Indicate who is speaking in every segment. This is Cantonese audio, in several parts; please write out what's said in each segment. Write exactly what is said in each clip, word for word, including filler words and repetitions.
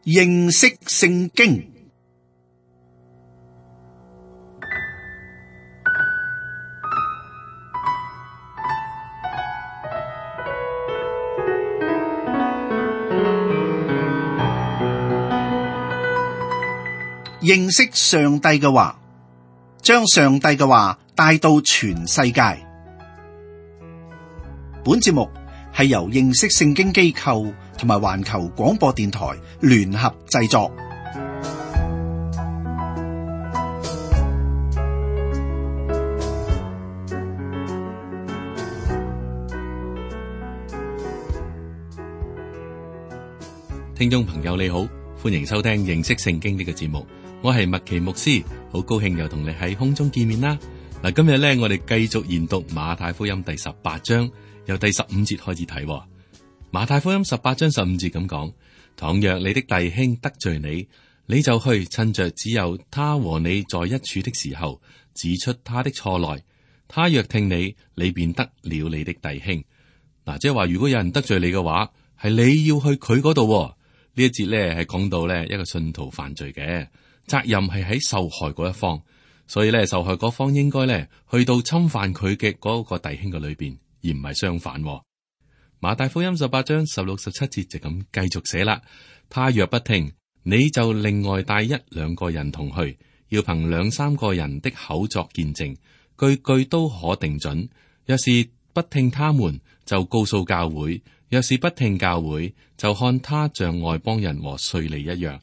Speaker 1: 認識聖經。認識上帝嘅話，將上帝嘅話帶到全世界。本節目係由認識聖經機構同埋環球廣播電台聯合製作。
Speaker 2: 聽眾朋友你好，歡迎收聽認識聖經呢個節目。我係麥奇牧師，好高興又同你喺空中見面啦。嗱，今日咧我哋繼續研讀馬太福音第十八章，由第十五節開始睇。馬太福音十八章十五節咁講：倘若你的弟兄得罪你，你就去趁着只有他和你在一處的時候，指出他的錯來。他若聽你，你便得了你的弟兄。嗱，即係話如果有人得罪你嘅話，係你要去佢嗰度。呢一節咧係講到咧一個信徒犯罪嘅責任係喺受害嗰一方，所以咧受害嗰方應該咧去到侵犯佢嘅嗰個弟兄嘅裏邊，而唔係相反。馬太福音十八章十六十七節就咁繼續寫啦。他若不聽，你就另外帶一兩個人同去，要憑兩三個人的口作見證，句句都可定準。若是不聽他們，就告訴教會；若是不聽教會，就看他像外邦人和稅吏一樣。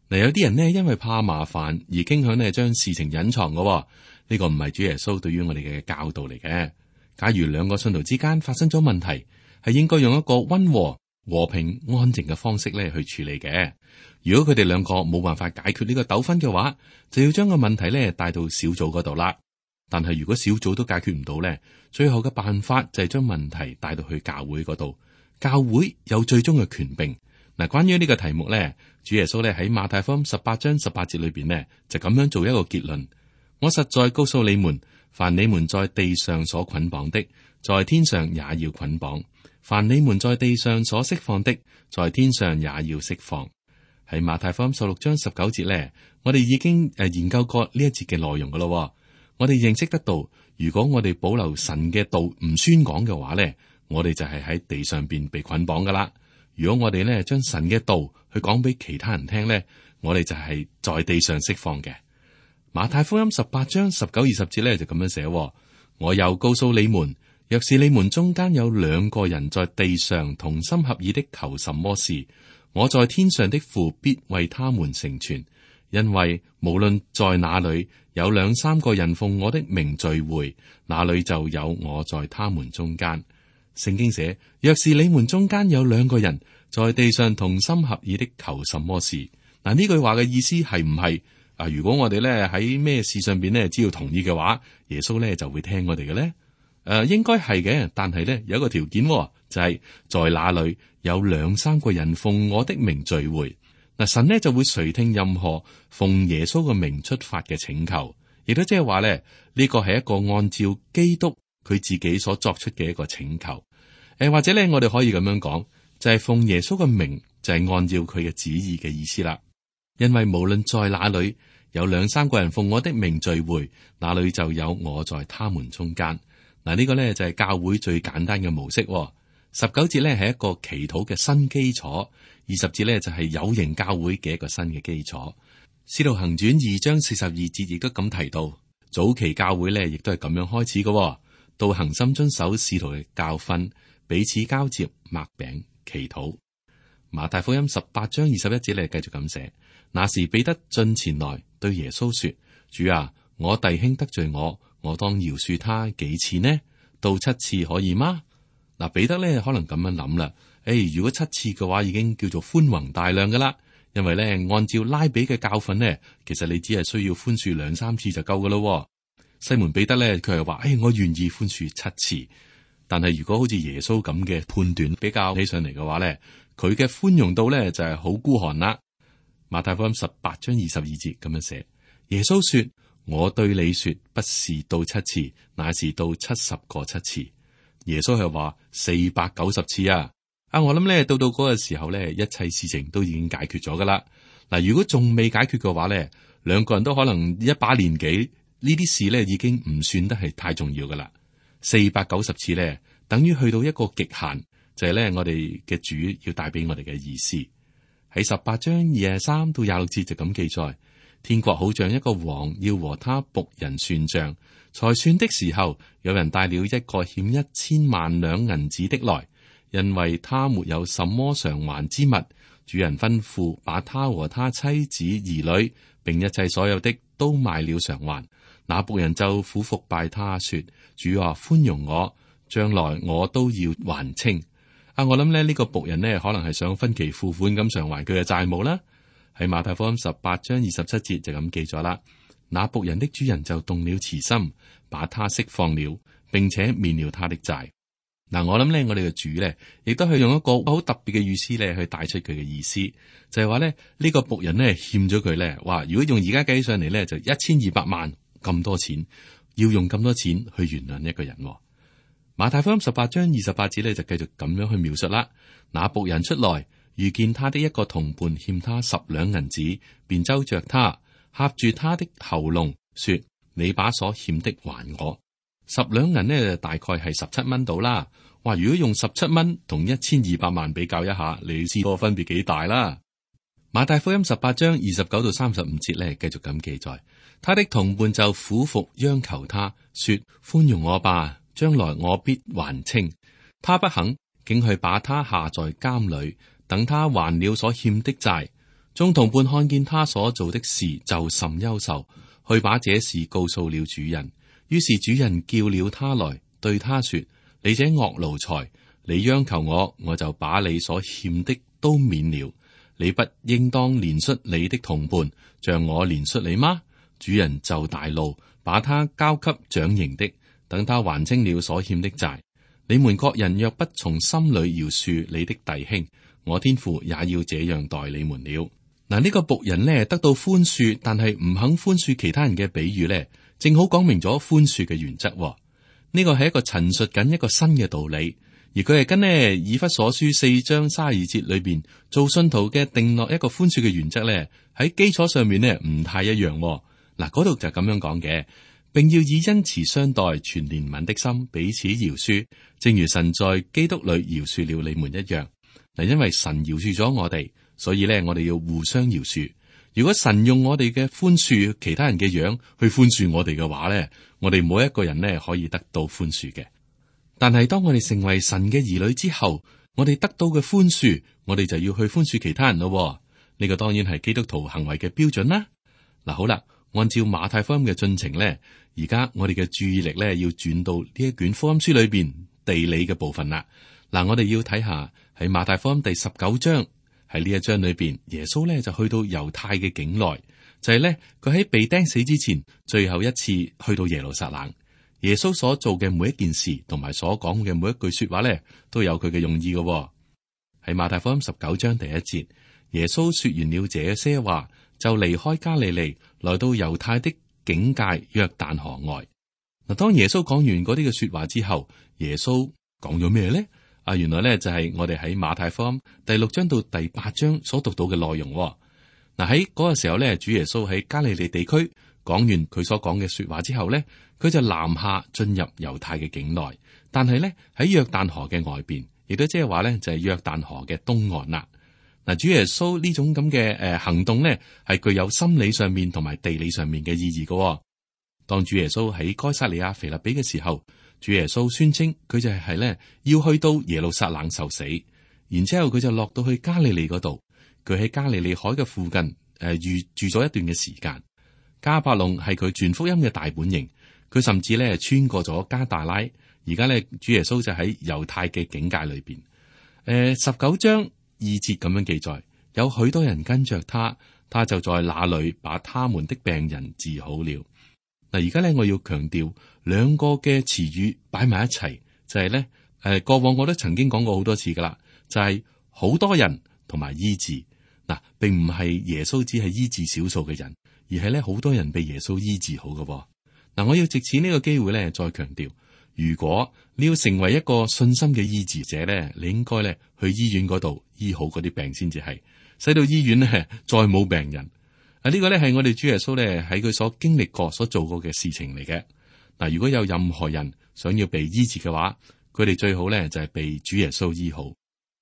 Speaker 2: 嗱，有啲人呢，因為怕麻煩而傾向呢將事情隱藏嘅，呢、這個唔係主耶穌對於我哋嘅教導嚟嘅。假如兩個信徒之間發生咗問題，係應該用一個溫和、和平、安靜嘅方式咧去處理嘅。如果佢哋兩個冇辦法解決呢個糾紛嘅話，就要將個問題咧帶到小組嗰度啦。但係如果小組都解決唔到咧，最後嘅辦法就係將問題帶到去教會嗰度。教會有最終嘅權柄。嗱，關於呢個題目咧，主耶穌咧喺馬太福音十八章十八節裏邊呢，就咁樣做一個結論：我實在告訴你們，凡你們在地上所捆綁的，在天上也要捆綁；凡你們在地上所釋放的，在天上也要釋放。喺馬太福音十六章十九節咧，我哋已經誒研究過呢一節嘅內容噶咯。我哋認識得到，如果我哋保留神嘅道唔宣講嘅話咧，我哋就係喺地上邊被捆綁噶啦。如果我哋咧將神嘅道去講俾其他人聽咧，我哋就係在地上釋放嘅。馬太福音十八章十九二十節咧就咁樣寫：我又告訴你們，若是你們中間有兩個人在地上同心合意的求什麼事，我在天上的父必為他們成全。因為無論在哪裏有兩三個人奉我的名聚會，那裏就有我在他們中間。聖經寫：若是你們中間有兩個人在地上同心合意的求什麼事，嗱，呢句話嘅意思係唔係啊？如果我哋咧喺咩事上邊咧只要同意嘅話，耶穌咧就會聽我哋嘅咧？誒、呃，應該係嘅，但係咧有一個條件，就係、是、在那裏有兩三個人奉我的名聚會，嗱，神呢就會垂聽任何奉耶穌嘅名出發嘅請求，亦都即係話咧呢個係一個按照基督佢自己所作出嘅一個請求。誒，或者咧，我哋可以咁樣講，就係、是、奉耶穌嘅名，就係、是、按照佢嘅旨意嘅意思啦。因為無論在哪裏有兩三個人奉我的名聚會，那裏就有我在他們中間。嗱，呢個咧就係教會最簡單嘅模式。十九節咧係一個祈禱嘅新基礎，二十節咧就係有形教會嘅一個新嘅基礎。使徒行傳二章四十二節亦都咁提到，早期教會咧亦都係咁樣開始嘅，到恒心遵守使徒嘅教訓，彼此交接，擘餅祈禱。馬太福音十八章二十一節咧繼續咁寫：那時彼得進前來對耶穌說：主啊，我弟兄得罪我，我當饒恕他幾次呢？到七次可以嗎？嗱，彼得咧可能咁樣諗啦。誒，如果七次嘅話，已經叫做寬宏大量噶啦。因為咧，按照拉比嘅教訓呢，其實你只係需要寬恕兩三次就夠噶咯。西門彼得咧，佢係話：誒，我願意寬恕七次。但係如果好似耶穌咁嘅判斷比較起上嚟嘅話咧，佢嘅寬容度咧就係好孤寒啦。馬太福音十八章二十二節咁樣寫：耶穌說，我對你說，不是到七次，乃是到七十個七次。耶穌係話四百九十次啊。啊，我諗咧到到嗰個時候咧，一切事情都已經解決咗噶啦。嗱，如果仲未解決嘅話咧，兩個人都可能一把年紀，呢啲事咧已經唔算得係太重要噶啦。四百九十次咧，等於去到一個極限，就係咧我哋嘅主要帶俾我哋嘅意思。喺十八章二十三到廿六節就咁記載：天國好像一個王要和他僕人算賬，才算的時候，有人帶了一個欠一千萬兩銀子的來。因為他沒有什麼償還之物，主人吩咐把他和他妻子兒女並一切所有的都賣了償還。那僕人就俯伏拜他說：主啊，寬容我，將來我都要還清。啊，我諗咧呢個僕人呢，可能係想分期付款咁償還佢嘅債務啦。喺馬太福音十八章二十七節就咁記咗啦。那僕人的主人就動了慈心，把他釋放了，並且免了他的債。嗱，我諗咧，我哋嘅主咧，亦都係用一個好特別嘅語思咧，去帶出佢嘅意思，就係話咧，呢個僕人咧欠咗佢咧，話如果用而家計上嚟咧，就一千二百萬咁多錢，要用咁多錢去原諒一個人。馬太福音十八章二十八節咧，就繼續咁樣去描述啦。那僕人出來，遇見他的一個同伴欠他十兩銀子，便揪着他，掐住他的喉嚨，說：你把所欠的還我。十兩銀呢，大概係十七蚊到啦。哇！如果用十七蚊同一千二百萬比較一下，你知個分別幾大啦？馬太福音十八章二十九到三十五節呢，繼續咁記載，他的同伴就俯伏央求他說：寬容我吧，將來我必還清。他不肯，竟去把他下在監裏，等他還了所欠的債。眾同伴看見他所做的事，就甚憂愁，去把這事告訴了主人。於是主人叫了他來，對他說：你這惡奴才，你央求我，我就把你所欠的都免了。你不應當憐恤你的同伴，像我憐恤你嗎？主人就大怒，把他交給掌刑的，等他還清了所欠的債。你們各人若不從心裏饒恕你的弟兄，我天父也要這樣待你們了。嗱，呢個僕人呢，得到寬恕，但係唔肯寬恕其他人嘅比喻呢，正好講明咗寬恕嘅原則。呢個係一個陳述緊一個新嘅道理，而佢係跟呢以弗所書四章三十二節裏邊做信徒嘅定落一個寬恕嘅原則咧，喺基礎上面呢唔太一樣。嗱，嗰度就咁樣講嘅，並要以恩慈相待，存憐憫的心彼此饒恕，正如神在基督裏饒恕了你們一樣。嗱，因為神饒恕咗我哋，所以咧我哋要互相饒恕。如果神用我哋嘅寬恕其他人嘅樣去寬恕我哋嘅話咧，我哋每一個人咧可以得到寬恕嘅。但係當我哋成為神嘅兒女之後，我哋得到嘅寬恕，我哋就要去寬恕其他人咯。呢個當然係基督徒行為嘅標準啦。嗱，好啦，按照馬太福音嘅進程咧，而家我哋嘅注意力咧要轉到呢一卷福音書裏邊地理嘅部分啦。嗱，我哋要睇下喺馬太福音第十九章。喺呢一章裏邊，耶穌咧就去到猶太嘅境內，就係咧佢喺被釘死之前最後一次去到耶路撒冷。耶穌所做嘅每一件事，同埋所講嘅每一句說話咧，都有佢嘅用意嘅。喺馬太福音十九章第一節，耶穌說完了這些話，就離開加利利，來到猶太的境界約旦河外。嗱，當耶穌講完嗰啲嘅說話之後，耶穌講咗咩咧？啊，原來咧就係我哋喺馬太福音第六章到第八章所讀到嘅內容。嗱，喺嗰個時候咧，主耶穌喺加利利地區講完佢所講嘅說話之後咧，佢就南下進入猶太嘅境內，但係咧喺約旦河嘅外邊，亦都即係話咧就係約旦河嘅東岸啦。嗱，主耶穌呢種咁嘅誒行動咧，係具有心理上面同埋地理上面嘅意義嘅。當主耶穌喺該撒利亞腓立比嘅時候，主耶穌宣稱佢就係咧要去到耶路撒冷受死，然之後佢就落到去加利利嗰度。佢喺加利利海嘅附近誒住住咗一段嘅時間。迦百農係佢傳福音嘅大本營，佢甚至咧穿過咗加大拉。而家咧主耶穌就喺猶太嘅境界裏邊。誒，十九章二節咁樣記載，有許多人跟着他，他就在那裏把他們的病人治好了。嗱，而家咧我要強調兩個嘅詞語擺埋一齊，就係咧誒，過往我都曾經講過好多次噶啦，就係好多人同埋醫治。嗱，並唔係耶穌只係醫治少數嘅人，而係咧好多人被耶穌醫治好嘅。嗱，我要藉此呢個機會咧再強調，如果你要成為一個信心嘅醫治者咧，你應該咧去醫院嗰度醫好嗰啲病先至係，使到醫院咧再冇病人。啊，呢個咧係我哋主耶穌咧喺佢所經歷過、所做過嘅事情嚟嘅。嗱，如果有任何人想要被醫治嘅話，佢哋最好咧就係被主耶穌醫好。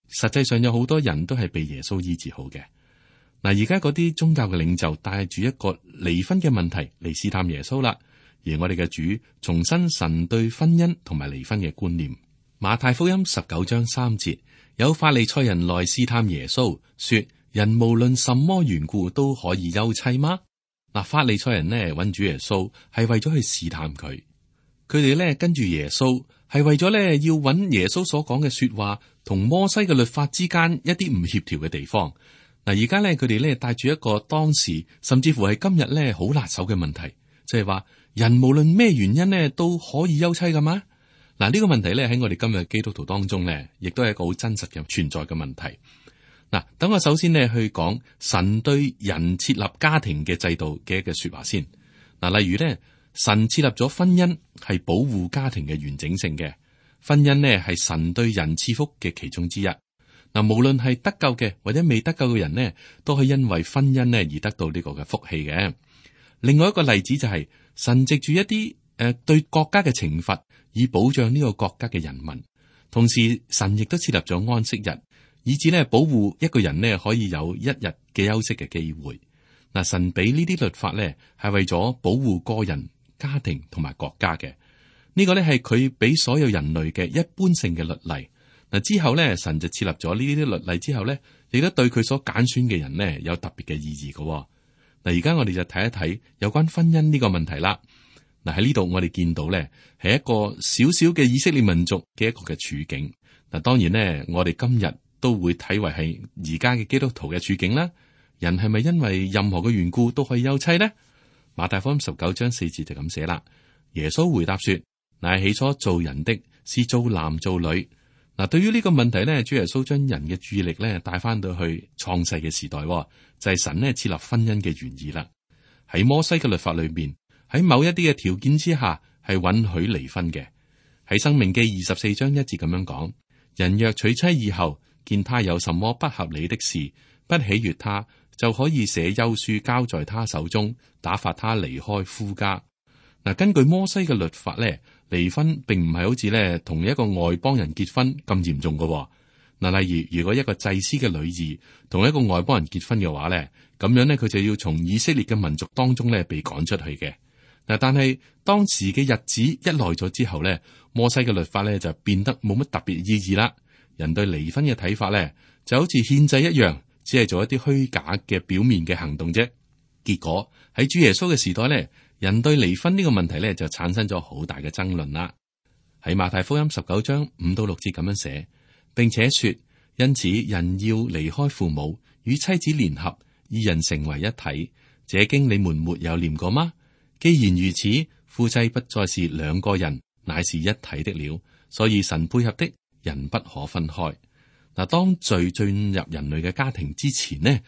Speaker 2: 實際上有好多人都係被耶穌醫治好嘅。嗱，而家嗰啲宗教嘅領袖帶住一個離婚嘅問題嚟試探耶穌啦。而我哋嘅主重申神對婚姻同埋離婚嘅觀念。馬太福音十九章三節，有法利賽人來試探耶穌，說：人無論什麼緣故都可以休妻嗎？嗱，法利賽人呢揾主耶穌係為咗去試探佢，佢哋呢跟住耶穌係為咗呢要揾耶穌所講嘅說話同摩西嘅律法之間一啲唔協調嘅地方。嗱，而家呢，佢哋呢帶住一個當時甚至乎係今日呢好辣手嘅問題，即係話。人無論咩原因咧都可以休妻噶嘛？嗱，呢個問題咧喺我哋今日基督徒當中咧，亦都係一個好真實嘅存在嘅問題。嗱，等我首先咧去講神對人設立家庭嘅制度嘅一個說話先。嗱，例如咧，神設立咗婚姻係保護家庭嘅完整性嘅，婚姻咧係神對人賜福嘅其中之一。嗱，無論係得救嘅或者未得救嘅人呢，都係因為婚姻咧而得到呢個嘅福氣嘅。另外一個例子就係、是。神藉住一啲誒、呃、對國家嘅懲罰，以保障呢個國家嘅人民。同時，神亦都設立咗安息日，以至咧保護一個人咧可以有一日嘅休息嘅機會。嗱，神俾呢啲律法咧係為咗保護個人、家庭同埋國家嘅。呢、這個咧係佢俾所有人類嘅一般性嘅律例。嗱，之後咧，神就設立咗呢啲律例之後咧，亦都對佢所揀選嘅人咧有特別嘅意義嘅。嗱，而家我哋就睇一睇有關婚姻呢個問題啦。嗱，喺呢度我哋見到咧，係一個小小嘅以色列民族嘅一個嘅處境。嗱，當然咧，我哋今日都會睇為係而家嘅基督徒嘅處境啦。人係咪因為任何嘅緣故都可以休妻呢？馬太福音十九章四節就咁寫啦。耶穌回答說：乃起初造人的是造男造女。嗱，對於呢個問題咧，主耶穌將人嘅注意力咧帶翻到去創世嘅時代，就係神咧設立婚姻嘅原意啦。喺摩西嘅律法裏邊，喺某一啲嘅條件之下係允許離婚嘅。喺申命記二十四章一節咁樣講：人若娶妻以後，見他有什麼不合理的事，不喜悅他，就可以寫休書交在他手中，打發他離開夫家。嗱，根據摩西嘅律法咧，離婚並唔係好似咧同一個外邦人結婚咁嚴重嘅。嗱，例如如果一個祭司嘅女兒同一個外邦人結婚嘅話咧，咁樣咧佢就要從以色列嘅民族當中咧被趕出去嘅。嗱，但係當時嘅日子一耐咗之後咧，摩西嘅律法咧就變得冇乜特別意義啦。人對離婚嘅睇法咧就好似獻祭一樣，只係做一啲虛假嘅表面嘅行動啫。結果喺主耶穌嘅時代咧，人對離婚呢個問題咧就產生咗好大嘅爭論啦。喺馬太福音十九章五到六節咁樣寫，並且說：因此人要離開父母，與妻子聯合，二人成為一體。這經你們沒有念過嗎？既然如此，夫妻不再是兩個人，乃是一體的了。所以神配合的人不可分開。嗱，當罪進入人類嘅家庭之前呢，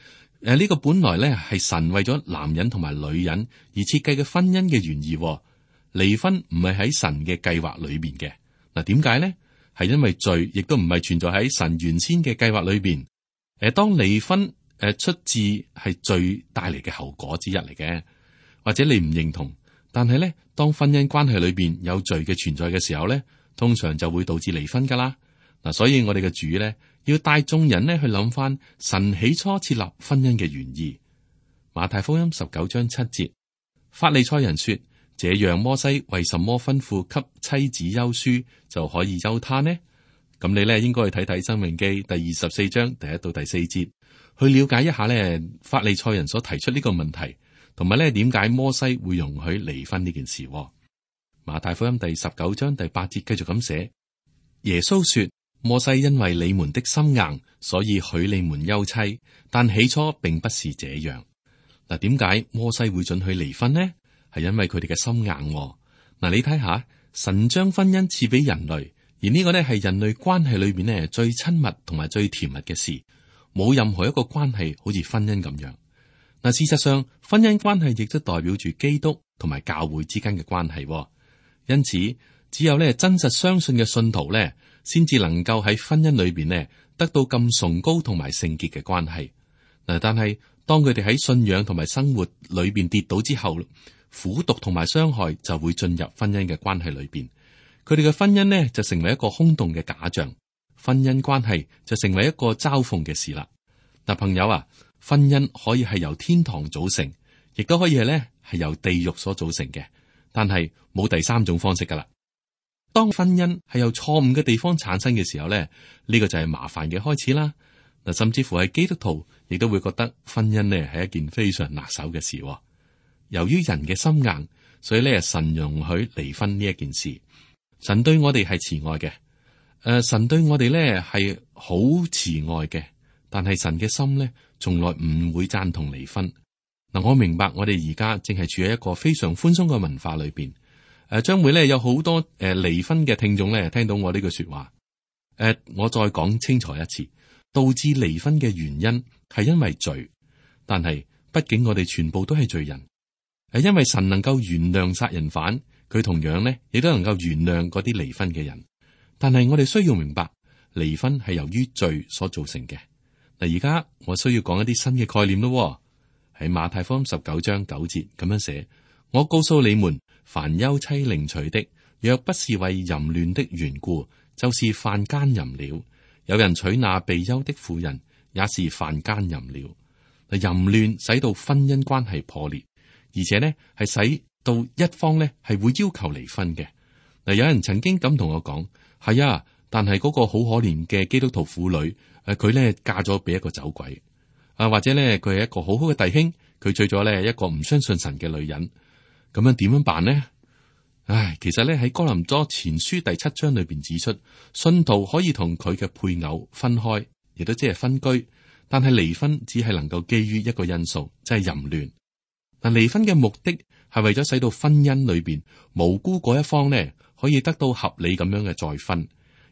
Speaker 2: 誒，呢個本來咧係神為咗男人同埋女人而設計嘅婚姻嘅原意。離婚唔係喺神嘅計劃裏邊嘅。嗱，點解呢？係因為罪亦都唔係存在喺神原先嘅計劃裏邊。誒，當離婚誒出自係罪帶嚟嘅後果之一嚟嘅，或者你唔認同，但係咧，當婚姻關係裏邊有罪嘅存在嘅時候咧，通常就會導致離婚噶啦。嗱，所以我哋嘅主咧要帶眾人咧去諗翻神起初設立婚姻嘅原意。馬太福音十九章七節，法利賽人說：這樣摩西為什麼吩咐給妻子休書就可以休他呢？咁你咧應該去睇睇《申命記》第二十四章第一到第四節，去了解一下咧法利賽人所提出呢個問題，同埋咧點解摩西會容許離婚呢件事。馬太福音第十九章第八節繼續咁寫：耶穌說，摩西因為你們的心硬，所以許你們休妻，但起初並不是這樣。嗱，點解摩西會准許離婚呢？係因為佢哋嘅心硬。嗱，你睇下，神將婚姻賜俾人類，而呢個呢係人類關係裏邊呢最親密同埋最甜蜜嘅事，冇任何一個關係好似婚姻咁樣。嗱，事實上，婚姻關係亦都代表住基督同埋教會之間嘅關係。因此，只有咧真實相信嘅信徒咧，先至能夠喺婚姻裏邊咧得到咁崇高同埋聖潔嘅關係。嗱，但係當佢哋喺信仰同埋生活裏邊跌倒之後，苦毒同埋傷害就會進入婚姻嘅關係裏邊。佢哋嘅婚姻呢，就成為一個空洞嘅假象，婚姻關係就成為一個嘲諷嘅事啦。嗱，朋友啊，婚姻可以係由天堂組成，亦都可以係咧係由地獄所組成嘅，但係冇第三種方式噶啦。當婚姻係由錯誤嘅地方產生嘅時候咧，呢、這個就係麻煩嘅開始啦。嗱，甚至乎係基督徒亦都會覺得婚姻呢係一件非常拿手嘅事。由於人嘅心硬，所以咧神容許離婚呢一件事。神對我哋係慈愛嘅，誒、呃，神對我哋咧係好慈愛嘅，但係神嘅心咧從來唔會贊同離婚。嗱、呃，我明白我哋而家正係處喺一個非常寬鬆嘅文化裏邊，誒、呃，將會咧有好多誒離、呃、婚嘅聽眾咧聽到我呢句說話。誒、呃，我再講清楚一次，導致離婚嘅原因係因為罪，但係畢竟我哋全部都係罪人。係因為神能夠原諒殺人犯，佢同樣咧亦都能夠原諒嗰啲離婚嘅人。但係我哋需要明白，離婚係由於罪所造成嘅。嗱，而家我需要講一啲新嘅概念咯。喺馬太福音十九章九節咁樣寫：我告訴你們，凡休妻另娶的，若不是為淫亂的緣故，就是犯奸淫了。有人娶那被休的婦人，也是犯奸淫了。嗱，淫亂使到婚姻關係破裂。而且呢，係使到一方呢係會要求離婚嘅。嗱，有人曾經咁同我講，係啊，但係嗰個好可憐嘅基督徒婦女，誒，佢呢嫁咗俾一個走鬼，啊，或者呢，佢係一個好好嘅弟兄，佢娶咗呢一個唔相信神嘅女人，咁樣點樣辦呢？唉，其實呢，喺哥林多前書第七章裏邊指出，信徒可以同佢嘅配偶分開，亦都即係分居，但係離婚只係能夠基於一個因素，即係淫亂。但離婚嘅目的係為咗使到婚姻裏邊無辜嗰一方呢可以得到合理咁樣嘅再婚，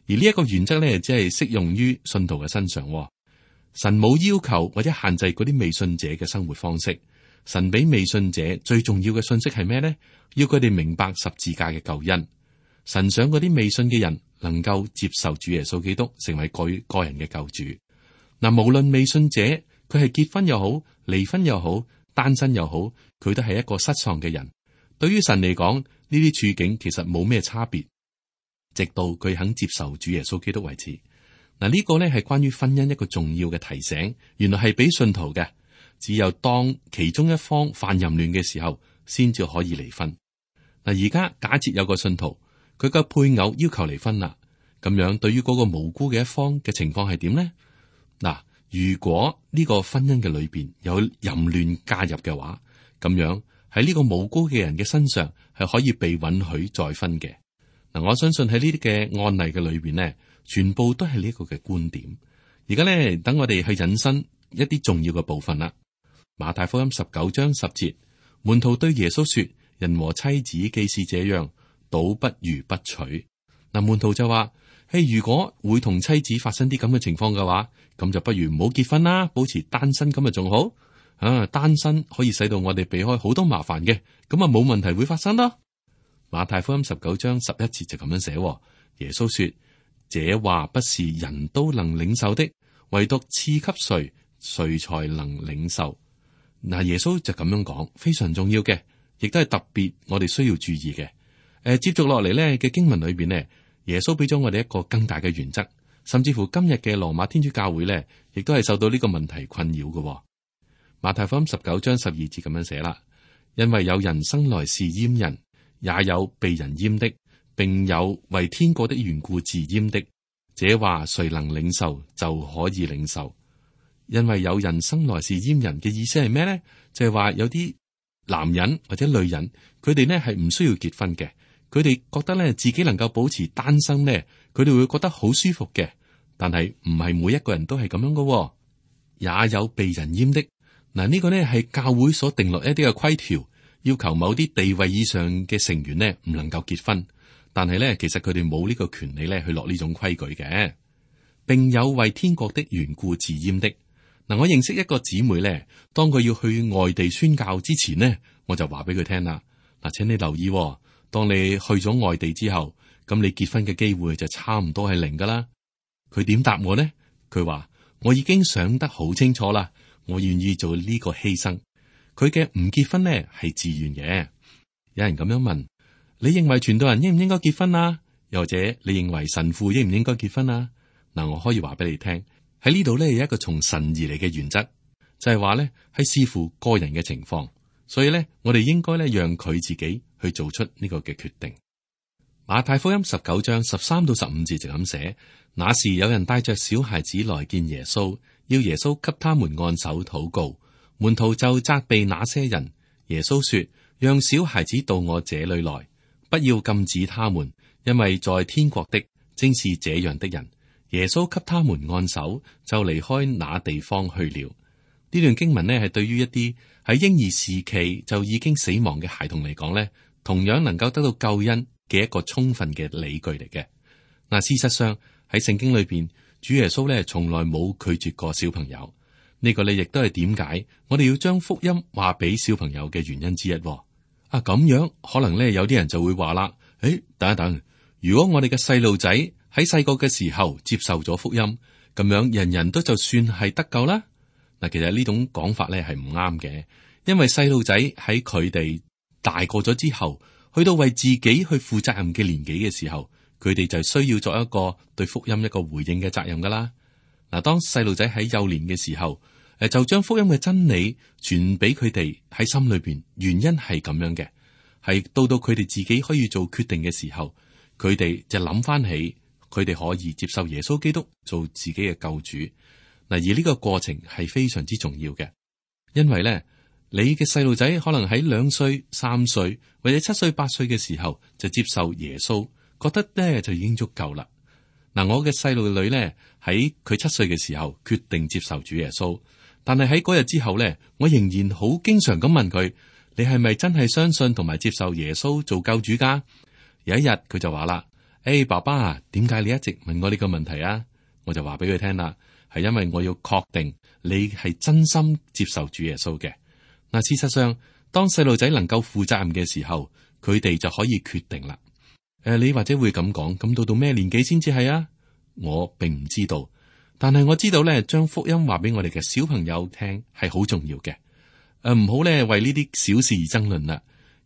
Speaker 2: 而呢一個原則呢，只係適用於信徒嘅身上。神冇要求或者限制嗰啲未信者嘅生活方式。神俾未信者最重要嘅信息係咩呢？要佢哋明白十字架嘅救恩。神想嗰啲未信嘅人能夠接受主耶穌基督成為佢個人嘅救主。嗱，無論未信者佢係結婚又好，離婚又好，單身又好，佢都係一個失喪嘅人。對於神嚟講，呢啲處境其實冇咩差別，直到佢肯接受主耶穌基督為止。嗱，呢個呢係關於婚姻一個重要嘅提醒，原來係俾信徒嘅。只有當其中一方犯淫亂嘅時候，先至可以離婚。嗱，而家假設有個信徒，佢嘅配偶要求離婚啦，咁樣對於嗰個無辜嘅一方嘅情況係點呢？嗱，如果呢個婚姻嘅裏邊有淫亂加入嘅話，咁樣喺呢個無辜嘅人嘅身上係可以被允許再婚嘅。嗱，我相信喺呢啲嘅案例嘅裏邊呢，全部都係呢個嘅觀點。而家呢，等我哋去引申一啲重要嘅部分啦。馬太福音十九章十節，門徒對耶穌說：人和妻子既是這樣，倒不如不娶。嗱，門徒就話：嘿，如果會同妻子發生啲咁嘅情況嘅話，咁就不如唔好結婚啦，保持單身咁啊仲好。啊，單身可以使到我哋避開好多麻煩嘅，咁啊冇問題會發生咯。馬太福音十九章十一節就咁樣寫：耶穌說：這話不是人都能領受的，唯獨賜給誰，誰才能領受。嗱，耶穌就咁樣講，非常重要嘅，亦都係特別我哋需要注意嘅。誒、呃，接續落嚟咧嘅經文裏邊呢，耶穌俾咗我哋一個更大嘅原則，甚至乎今日嘅羅馬天主教會咧，亦都係受到呢個問題困擾嘅。馬太福音十九章十二節咁樣寫啦，因為有人生來是閹人，也有被人閹的，並有為天國的緣故自閹的。這話誰能領受，就可以領受。因為有人生來是閹人嘅意思係咩咧？就係話有啲男人或者女人，佢哋咧係唔需要結婚嘅，佢哋覺得咧自己能夠保持單身咧，佢哋會覺得好舒服嘅。但係唔係每一個人都係咁樣噶，也有被人閹的。嗱，呢個咧係教會所定落一啲嘅規條，要求某啲地位以上嘅成員咧唔能夠結婚。但係咧，其實佢哋冇呢個權利咧去落呢種規矩嘅，並有為天國的緣故自閹的。嗱，我認識一個姊妹咧，當佢要去外地宣教之前呢，我就話俾佢聽啦。嗱，請你留意，當你去咗外地之後，咁你結婚嘅機會就差唔多係零噶啦。佢點答我呢？佢話我已經想得好清楚啦，我願意做呢個犧牲。佢嘅唔結婚呢係自願嘅。有人咁樣問：你認為傳道人應唔應該結婚啊？又或者你認為神父應唔應該結婚啊？嗱，我可以話俾你聽，喺呢度咧有一個從神而嚟嘅原則，就係話咧係視乎個人嘅情況，所以咧我哋應該咧讓佢自己去做出呢個嘅決定。馬太福音十九章十三到十五節就咁寫：那時有人帶着小孩子來見耶穌，要耶穌給他們按手禱告。門徒就責備那些人。耶穌說：讓小孩子到我這裏來，不要禁止他們，因為在天國的正是這樣的人。耶穌給他們按手，就離開那地方去了。呢段經文呢，係對於一啲喺嬰兒時期就已經死亡嘅孩童嚟講呢，同樣能夠得到救恩嘅一個充分嘅理據嚟嘅。嗱，事實上喺聖經裏邊，主耶穌咧從來冇拒絕過小朋友。呢個咧亦都係點解我哋要將福音話俾小朋友嘅原因之一。啊，咁樣可能咧有啲人就會話啦：誒，等一等，如果我哋嘅細路仔喺細個嘅時候接受咗福音，咁樣人人都就算係得救啦。嗱，其實呢種講法咧係唔啱嘅，因為細路仔喺佢哋大個咗之後，去到為自己去負責任嘅年紀嘅時候，佢哋就需要作一個對福音一個回應嘅責任噶啦。嗱，當細路仔喺幼年嘅時候，誒就將福音嘅真理傳俾佢哋喺心裏邊，原因係咁樣嘅，係到到佢哋自己可以做決定嘅時候，佢哋就諗翻起佢哋可以接受耶穌基督做自己嘅救主。嗱，而呢個過程係非常之重要嘅，因為咧你嘅細路仔可能喺兩歲、三歲或者七歲、八歲嘅時候就接受耶穌，覺得咧就已經足夠啦。嗱，我嘅細路女咧喺佢七歲嘅時候決定接受主耶穌，但係喺嗰日之後咧，我仍然好經常咁問佢：你係咪真係相信同埋接受耶穌做救主噶？有一日佢就話啦：誒、hey，爸爸啊，點解你一直問我呢個問題啊？我就話俾佢聽啦，係因為我要確定你係真心接受主耶穌嘅。嗱，事實上，當細路仔能夠負責任嘅時候，佢哋就可以決定啦。誒、呃，你或者會咁講，咁到到咩年紀先至係啊？我並唔知道，但係我知道咧，將福音話俾我哋嘅小朋友聽係好重要嘅。誒、呃，唔好咧為呢啲小事而爭論啦，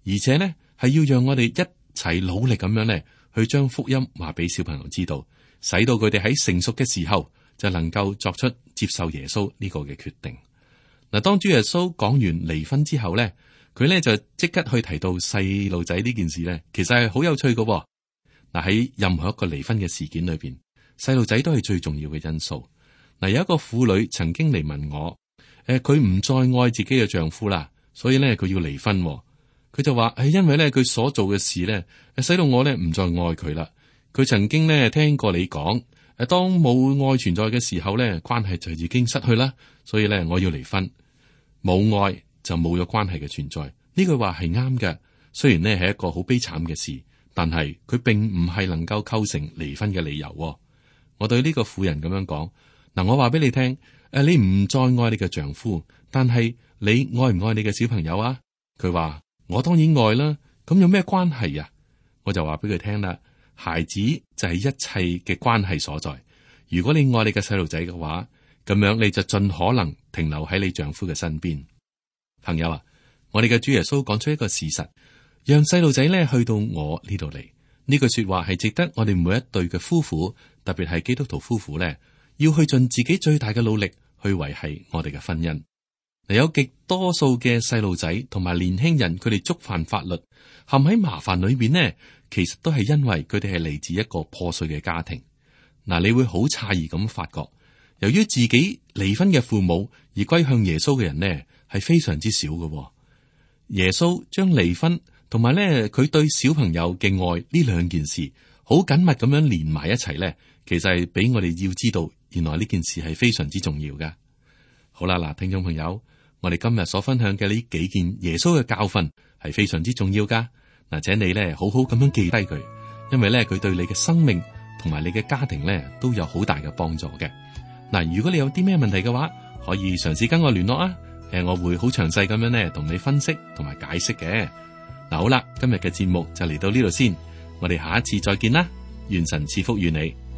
Speaker 2: 而且咧係要讓我哋一齊努力咁樣咧去將福音話俾小朋友知道，使到佢哋喺成熟嘅時候就能夠作出接受耶穌呢個嘅決定。嗱，當主耶穌講完離婚之後咧，佢咧就即刻去提到細路仔呢件事咧，其實係好有趣嘅。嗱，喺任何一個離婚嘅事件裏邊，細路仔都係最重要嘅因素。嗱，有一個婦女曾經嚟問我，誒，佢唔再愛自己嘅丈夫啦，所以咧佢要離婚。佢就話係因為咧佢所做嘅事咧，使到我咧唔再愛佢啦。佢曾經咧聽過你講，誒，當冇愛存在嘅時候咧，關係就已經失去啦，所以咧我要離婚。冇愛就冇咗關係嘅存在，呢句話係啱嘅。雖然呢係一個好悲慘嘅事，但係佢並唔係能夠構成離婚嘅理由。我對呢個婦人咁樣講，嗱，我話俾你聽，誒，你唔再愛你嘅丈夫，但係你愛唔愛你嘅小朋友啊？佢話我當然愛啦，咁有咩關係啊？我就話俾佢聽啦，孩子就係一切嘅關係所在。如果你愛你嘅細路仔嘅話，咁樣你就盡可能停留喺你丈夫嘅身邊。朋友啊，我哋嘅主耶穌講出一個事實，讓細路仔咧去到我呢度嚟。呢句說話係值得我哋每一對嘅夫婦，特別係基督徒夫婦咧，要去盡自己最大嘅努力去維繫我哋嘅婚姻。嗱，有極多數嘅細路仔同埋年輕人，佢哋觸犯法律，陷喺麻煩裏邊呢，其實都係因為佢哋係嚟自一個破碎嘅家庭。嗱，你會好詫異咁發覺，由於自己離婚嘅父母而歸向耶穌嘅人呢，係非常之少嘅。耶穌將離婚同埋咧佢對小朋友嘅愛呢兩件事好緊密咁樣連埋一齊咧，其實係俾我哋要知道，原來呢件事係非常之重要嘅。好啦，嗱，聽眾朋友，我哋今日所分享嘅呢幾件耶穌嘅教訓係非常之重要噶。嗱，請你咧好好咁樣記低佢，因為咧佢對你嘅生命同埋你嘅家庭咧都有好大嘅幫助嘅。嗱，如果你有啲咩問題嘅話，可以嘗試跟我聯絡啊。誒，我會好詳細咁樣咧同你分析同埋解釋嘅。嗱，好啦，今日嘅節目就嚟到呢度先。我哋下一次再見啦，願神賜福與你。